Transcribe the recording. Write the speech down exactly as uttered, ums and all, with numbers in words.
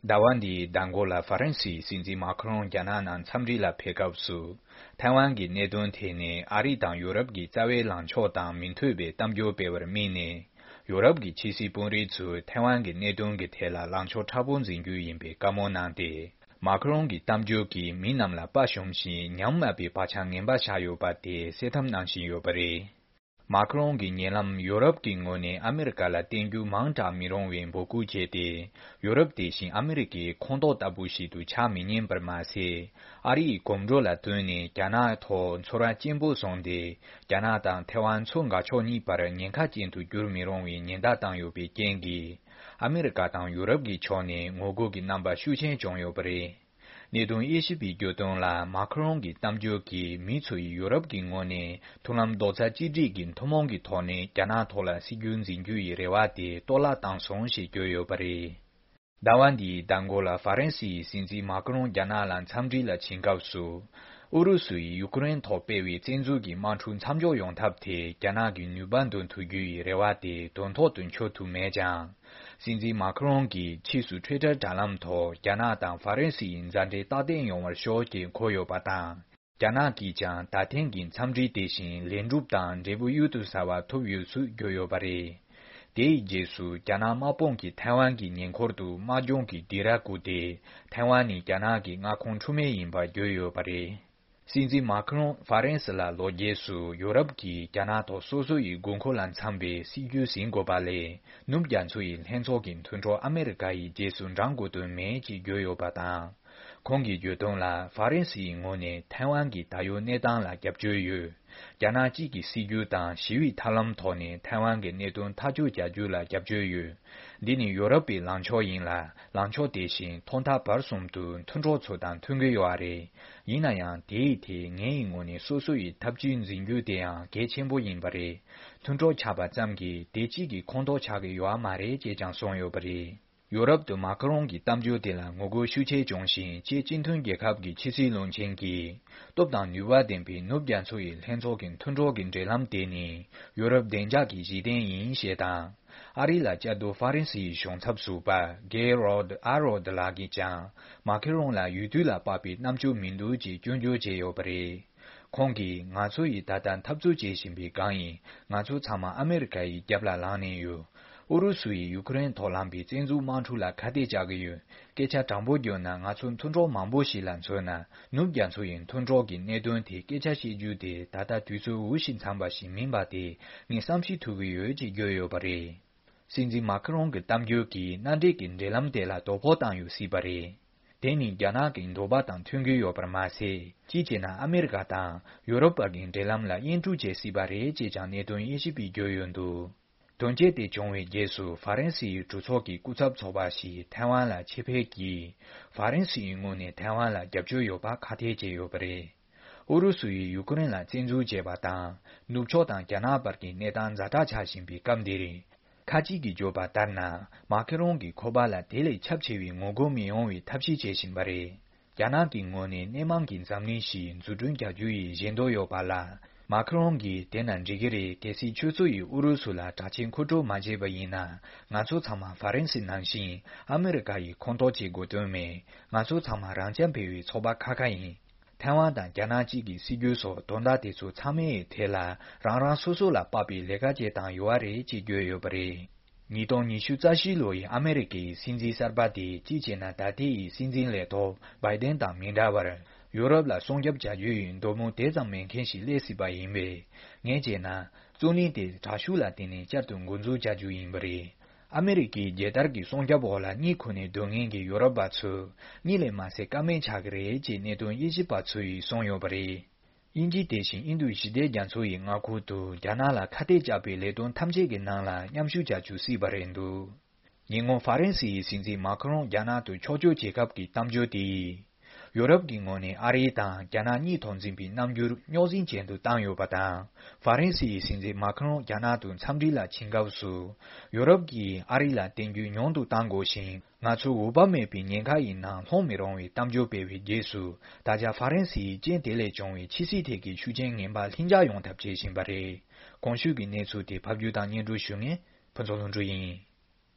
ཟླ་བ་འདིའི་ཟླ་འགོ་ལ་ཧྥ་རན་སིའི་སྲིད་འཛིན་མཱ་ཁི་རོང་རྒྱ་ནག་ནང་འཚམས་འདྲི་ལ་ཕེབས་སྐབས་སུ། ཐའེ་ཝན་གྱི་གནད་དོན་ཐད་ནས་ཨ་རི་དང་ཡུ་རོབ་ཀྱི་རྩ་བའི་ལངས་ཕྱོགས་དང་མི་མཐུན་པའི་གཏམ་བརྗོད་སྤེལ་བར་དམིགས་ནས། ཡུ་རོབ་ཀྱི་ཕྱི་སྲིད་དཔོན་རིགས་ཚོས་ཐའེ་ཝན་གྱི་གནད་དོན་གྱི་ཐད་ལ་ལངས་ཕྱོགས་མཁྲེགས་པོ་འཛིན་རྒྱུ་ཡིན་པའི་བཀའ་མོལ་གནང་སྟེ། མཱ་ཁི་རོང་གི་གཏམ་བརྗོད་ཀྱིས་མི་རྣམས་ལ་དཔའ་ཞུམ་ཞིང་ཉམས་དམའ་བའི་བག་ཆགས་ངན་པ་བཞག་ཡོད་པ་དེ་གསལ་ཐབས་གནང་བཞིན་ཡོད་པ་རེད། མཱ་ཁི་རོང་གིས་ཉེ་ལམ་ཡུ་རོབ་ཀྱི་ངོས་ནས་ཨ་མེ་རི་ཀ་ལ་བརྟེན་རྒྱུ་མང་དྲགས་མི་རུང་བའི་འབོད་སྐུལ་བྱས་ཏེ། ཡུ་རོབ་དེ་བཞིན་ཨ་མེ་རི་ཀའི་ཁོངས་གཏོགས་ལྟ་བུ་ཞིག་ཏུ་ཆགས་མི་ཉན་པར་མ་ཟད། ཨ་རི་ཡི་གོམ་བགྲོད་ལ་བསྟུན་ནས་རྒྱ་ནག་ཐོག་ཚོར་བ་སྐྱེན་པོ་བཟུང་སྟེ། རྒྱ་ནག་དང་ཐའེ་ཝན་མཚོ་འགག་ཕྱོགས་གཉིས་བར་ཉེན་ཁ་ཅན་དུ་འགྱུར་མི་རུང་བའི་ཉེན་བརྡ་བཏང་ཡོད་པའི་རྐྱེན་གྱིས། ཨ་མེ་རི་ཀ་དང་ཡུ་རོབ་ཀྱི་ཕྱོགས་ནས་ངོ་རྒོལ་གྱི་རྣམ་པ་ཤུགས་ཆེན་བྱུང་ཡོད་པ་རེད། གནད་དོན་དབྱེ་ཞིབ་པས་བརྗོད་དོན་ལ། མཱ་ཁི་རོང་གི་གཏམ་བརྗོད་ཀྱིས་མི་ཚོ་ཡིས་ཡུ་རོབ་ཀྱི་ངོས་ནས་མཐུན་ལམ་རྡོག་རྩ་གཅིག་སྒྲིལ་གྱི་ཐུན་མོང་གི་ཐོག་ནས་རྒྱ་ནག་ཐོག་ལ་སྲིད་ཇུས་འཛིན་རྒྱུ་ཡི་རེ་བ་དེ་གཏོར་བརླག་བཏང་སོང་ཞེས་བརྗོད་ཡོད་པ་རེད། ཟླ་བ་འདིའི་ཟླ་འགོ་ལ་ཧྥ་རན་སི་ཡི་སྲིད་འཛིན་མཱ་ཁི་རོང་རྒྱ་ནག་ལ་འཚམས་འདྲི་ལ་ཕྱིན་སྐབས་སུ། ཨུ་རུ་སུ་ཡིས་ཡུ་ཀེ་རེན་ཐོག་སྤེལ་བའི་བཙན་འཛུལ་གྱི་དམག་འཁྲུག་མཚམས་འཇོག་ཡོང་ཐབས་དེ་རྒྱ་ནག་གི་ནུས་པ་འདོན་ཐུབ་རྒྱུ་ཡི་རེ་བ་དེ་དོན་ཐོག་ཏུ་འཁྱོལ་ཐུབ་མེད་ཀྱང་། སྲིད་འཛིན་མཱ་ཁི་རོང་གིས་ཕྱིས་སུ་ཊུའི་ཊར་དྲ་ལམ་ཐོག་རྒྱ་ནག་དང་ཧྥ་རན་སི་ཡི་མཛའ་འབྲེལ་རྟག་བརྟན་ཡོང་བར་ཤོག་ཅེས་འཁོད་ཡོད་པ་དང་། རྒྱ་ནག་གིས་ཀྱང་ད་ཐེངས་ཀྱི་འཚམས་འདྲི་དེ་བཞིན་ལས་འགྲུབ་དང་འབྲས་བུ་གཡུར་དུ་ཟ་བ་ཐོབ་ཡོད་ཚུལ་བརྗོད་ཡོད་པ་རེད། དེའི་རྗེས་སུ་རྒྱ་ནག་དམག་དཔུང་གིས་ཐའེ་ཝན་གྱི་ཉེ་འཁོར་དུ་དམག་སྦྱོང་གི་སྡིགས་ར་བསྐུལ་ཏེ། ཐའེ་ཝན་ནི་རྒྱ་ནག་གི་མངའ་ཁོངས་འཁྲུལ་མེད་ཡིན་པ་བརྗོད་ཡོད་པ་རེད། སྲིད་འཛིན་མཱ་ཁི་རོང་ཧྥ་རན་སི་ལ་ལོ་རྒྱས་སུ་ཡུ་རོབ་ཀྱིས་རྒྱ་ནག་ཐོག་སོ་སོ་ཡི་དགོས་མཁོ་ལ་འཚམ་པའི་སྲིད་ཇུས་ཟིན་དགོས་པ་ལས། ནུབ་རྒྱ་མཚོ་ཡི་ལྷན་ཚོགས་ཀྱི་མཐུན་གྲོགས་ཨ་མེ་རི་ཀ་ཡི་རྗེས་སུ་འབྲང་དགོས་དོན་མེད་ཅེས་བརྗོད་ཡོད་པ་དང་། ཁོང་གིས་བརྗོད་དོན་ལ། ཧྥ་རན་སི་ཡི་ངོས་ནས་ཐའེ་ཝན་གྱི་ད་ཡོད་གནས་སྟངས་ལ་རྒྱབ་སྐྱོར་ཡོད། རྒྱ་ནག་གཅིག་གི་སྲིད་ཇུས་དང་ཞི་བའི་ཐབས་ལམ་ཐོག་ནས་ཐའེ་ཝན་གྱི་གནད་དོན་ཐག་གཅོད་བྱ་རྒྱུ་ལ་རྒྱབ་སྐྱོར་ཡོད། འདི་ནི་ཡོ་རོབ་པའི་ལངས་ཕྱོགས་ཡིན་ལ། ལངས་ཕྱོགས་དེ་བཞིན་ཐོག་མཐའ་བར་གསུམ་དུ་མཐུན་གྲོགས་ཚོ་དང་མཐུན་གྱི་ཡོད་རེད། ཡིན་ན་ཡང་དེའི་ཐད་ངའི་ངོས་ནས་སོ་སོ་ཡི་ཐབས་ཇུས་འཛིན་རྒྱུ་དེ་ཡང་གལ་ཆེན་པོ་ཡིན་པ་རེད། མཐུན་གྲོགས་ཆགས་པ་ཙམ་གྱིས་དེ་གཅིག་གི་ཁོངས་གཏོགས་ཆགས་ཀྱི་ཡོད་མ་རེད་ཅེས་ཀྱང་གསུངས་ཡོད་པ་རེད། ཡོ་རོབ་ཏུ་མཱ་ཁི་རོང་གི་གཏམ་བརྗོད་དེ་ལ་ངོ་རྒོལ་ཤུགས་ཆེ་བྱུང་ཞིང་། ཕྱིའི་སྤྱི་མཐུན་རྒྱལ་ཁབ་ཀྱི་ཕྱི་སྲིད་བློན་ཆེན་གྱིས་སྟོབས་དང་ནུས་པ་ལྡན་པའི་ནུབ་རྒྱ་མཚོ་ཡི་ལྷན་ཚོགས་ཀྱི་མཐུན་གྲོགས་ཀྱི་འབྲེལ་ལམ་དེ་ནི་ཡོ་རོབ་བདེ་འཇགས་ཀྱི་གཞི་རྟེན་ཡིན་ཞེས་དང་། ཨ་རི་ལ་བཅའ་སྡོད་ཧྥ་རན་སི་ཡི་གཞུང་ཚབ་ཟུར་པ་གེ་རོད་ཨ་རོད་ལགས་ཀྱིས་ཀྱང་མཱ་ཁི་རོང་ལ་ཡུལ་དུས་ལ་དཔག་པའི་རྣམ་དཔྱོད་མི་འདུག་ཅེས་སྐྱོན་བརྗོད་བྱས་ཡོད་པ་རེད། ཁོང་གིས་ང་ཚོ་ཡིས་ད་ལྟ་འཐབ་རྩོད་བྱེད་བཞིན་པའི་སྒང་ཡིན། ང་ཚོ་ཚང་མ་ཨ་མེ་རི་ཀ་ཡི་རྒྱབ་ལ་ལངས་ནས་ཡོད། ཨུ་རུ་སུ་ཡིས་ཡུ་ཀེ་རེན་ཐོག་ལངས་པའི་བཙན་འཛུལ་དམག་འཁྲུག་ལ་ཁ་གཏད་བཅག་གི་ཡོད། སྐད་ཆ་དྲང་པོ་བརྗོད་ན། ང་ཚོ་མཐུན་གྲོགས་མང་པོ་ཞིག་ལ་མཚོན་ན། ནུབ་རྒྱ་མཚོ་ཡི་མཐུན་གྲོགས་ཀྱི་གནད་དོན་དེ་སྐད་ཆ་བཤད་རྒྱུ་དེ་ད་ལྟ་དུས་ཚོད་འུ་ཞིག་འཚམས་པ་ཞིག་མིན་པ་དེ་ངས་བསམ་ཤེས་ཐུབ་ཀྱི་ཡོད་ཅེས་བརྗོད་ཡོད་པ་རེད། སྲིད་འཛིན་མཱ་ཁི་རོང་གི་གཏམ་བརྗོད་ཀྱིས་མནའ་འབྲེལ་གྱི་འབྲེལ་ལམ་དེ་ལ་དོ་ཕོག་བཏང་ཡོད་སྲིད་པ་རེད། དེ་ནི་རྒྱ་ནག་གི་འདོད་པ་དང་མཐུན་གྱི་ཡོད་པར་མ་ཟད། གཅིག་བྱས་ན་ཨ་མེ་རི་ཀ་དང་ཡོ་རོབ་བར་གྱི་འབྲེལ་ལམ་ལ་དབྱེན་དཀྲུག་བྱེད་སྲིད་པ་རེད་ཅེས་ཀྱང་གནད་དོན་དབྱེ་ཞིབ་པས་བརྗོད་ཡོད་འདུག་དོན་རྐྱེན་དེ་བྱུང་བའི་རྗེས་སུ་ཧྥ་རན་སི་ཡི་གྲོས་ཚོགས་ཀྱི་སྐུ་ཚབ་ཚོགས་པ་ཞིག་ཐའེ་ཝན་ལ་ཆེད་ཕེབས་ཀྱིས། ཧྥ་རན་སི་ཡི་ངོས་ནས་ཐའེ་ཝན་ལ་རྒྱབ་སྐྱོར་ཡོད་པ་ཁག་ཐེག་བྱས་ཡོད་པ་རེད། ཨུ་རུ་སུ་ཡིས་ཡུ་ཀེ་རེན་ལ་བཙན་འཛུལ་བྱས་པ་དང་། ནུབ་ཕྱོགས་དང་རྒྱ་ནག་བར་གྱི་གནས་སྟངས་ཛ་དྲག་ཆགས་བཞིན་པའི་སྐབས་འདིར། ཁ་ཅིག་གིས་བརྗོད་པ་ལྟར་ན། མཱ་ཁེ་རོང་གི་ཁོ་པ་ལ་དེ་ལས་ཁྱབ་ཆེ་བའི་ངོ་རྒོལ་མི་ཡོང་བའི་ཐབས་ཤེས་བྱེད་བཞིན་པ་རེད། རྒྱ་ནག་གི་ངོས་ནས་སྣེ་མང་གི་འཛམ་གླིང་ཞིག་འཛུགས་སྐྲུན་བྱ་རྒྱུ་ཡི་བཞེད་འདོད་ཡོད་པ་ལ། མཱ་ཁེ་རོང་གིས་དེ་ན་འགྲིག་གི་རེད། གལ་སྲིད་ཁྱོད་ཚོ་ཡིས་ཨུ་རུ་སུ་ལ་དྲག་ཆས་མཁོ་སྤྲོད་མ་བྱས་པ་ཡིན་ན། ང་ཚོ་ཚང་མ་ཧྥ་རན་སི་ནང་བཞིན་ཨ་མེ་རི་ཀ་ཡི་ཁོངས་གཏོགས་བྱེད་དགོས་དོན་མེད། ང་ཚོ་ཚང་མ་རང་རྐྱ་འཕེར་བའི་ཚོགས་པ་ཁ་ཁ་ཡིན། ཐའེ་ཝན་དང་རྒྱ་ནག་གཅིག་གི་སྲིད་ཇུས་སོགས་དོན་དག་དེ་ཚོ་ཚང་མའི་ཐད་ལ་རང་རང་སོ་སོ་ལ་དཔག་པའི་ལས་ཀ་བྱེད་སྟངས་ཡོད་པ་རེད་ཅེས་བརྗོད་ཡོད་པ་རེད། ཉིས་སྟོང་ཉི་ཤུ་རྩ་བཞི་ལོ་ཡི་ཨ་མེ་རི་ཀའི་སྲིད་འཛིན་གསར་པ་དེ་གཅིག་བྱས་ན་ད་ལྟའི་སྲིད་འཛིན་ལས་ཐོག་བྷའི་ཌེན་དང་མི་འདྲ་བར། ཡུ་རོབ་ལ་སྲུང་སྐྱོབ་བྱ་རྒྱུ་ཡི་འདོད་མོས་དེ་ཙམ་མེད་མཁན་ཞིག་སླེབས་སྲིད་པ་ཡིན་པས། ངས་བྱས་ན། རྩོད་གླེང་དེ་དྲག་ཤུགས་ལ་བརྟེན་ནས་བསྐྱར་དུ་འགོ་འཛུགས་བྱ་རྒྱུ་ཡིན་པ་རེད། ཨ་མེ་རི་ཀའི་རྒྱལ་དར་གྱི་སྲུང་སྐྱོབ་འོག་ལ་གཉིད་ཁུག་ནས་སྡོད་མཁན་གྱི་ཡུ་རོབ་པ་ཚོས་གཉིད་ལས་མ་སད་ཀ་མེད་ཆགས་ཀྱི་རེད་ཅེས་གནད་དོན་དབྱེ་ཞིབ་པ་ཚོ་ཡིས་གསུངས་ཡོད་པ་རེད། དབྱིན་ཇི་དེ་བཞིན་ཨིན་རྡུ་ཞི་བདེ་རྒྱ་མཚོ་ཡི་མངའ་ཁུལ་དུ་རྒྱ་ནག་ལ་ཁ་གཏད་བཅག་པའི་ལས་དོན་ཐམས་ཅད་ཀྱི་ནང་ལ་མཉམ་ཞུགས་བྱ་རྒྱུ་སྲིད་པ་རེད་འདུག་ཉེ་སྔོན་ཧྥ་རན་སི་ཡི་སྲིད་འཛིན་མཱ་ཁི་རོང་རྒྱ་ནག་ཏུ་ཕྱོགས་བསྐྱོད་བྱེད་སྐབས་ཀྱི་གཏམ་བརྗོད་དེ་ཡིས། ཡུ་རོབ་ཀྱི་ངོས་ནས་ཨ་རི་དང་རྒྱ་ནག་གཉིས་ཐོག་འཛིན་པའི་རྣམ་འགྱུར་རྙོག་འཛིང་ཅན་དུ་བཏང་ཡོད་པ་དང་། ཧྥ་རན་སི་ཡི་སྲིད་འཛིན་མཱ་ཁི་རོང་རྒྱ་ནག་ཏུ་འཚམས་འདྲི་ལ་ཕྱིན་སྐབས་སུ། ཡུ་རོབ་ཀྱིས་ཨ་རི་ལ་བརྟེན་རྒྱུ་ཉུང་དུ་གཏང་དགོས་ཤིང་། ང་ཚོ་འོས་བབ་མེད་པའི་ཉེན་ཁ་ཡི་ནང་ལྷུང་མི་རུང་བའི་གཏམ་བརྗོད་སྤེལ་བའི་རྗེས་སུ། ད་ཆ་ཧྥ་རན་སི་ཡི་རྐྱེན་དེ་ལས་བྱུང་བའི་ཕྱི་སྲིད་ཐད་ཀྱི་ཤུགས་རྐྱེན་ངན་པ་ལྷིང་འཇགས་ཡོང་ཐབས་བྱེད་བཞིན་པ་རེད། གོང་ཞུས་ཀྱི་གནས་ཚུལ་དེ་ཕབ་སྒྱུར་དང་སྙན་སྒྲོན་ཞུ་མཁན་ཕུན་ཚོགས་ལྷུན་གྲུབ་ཡིན།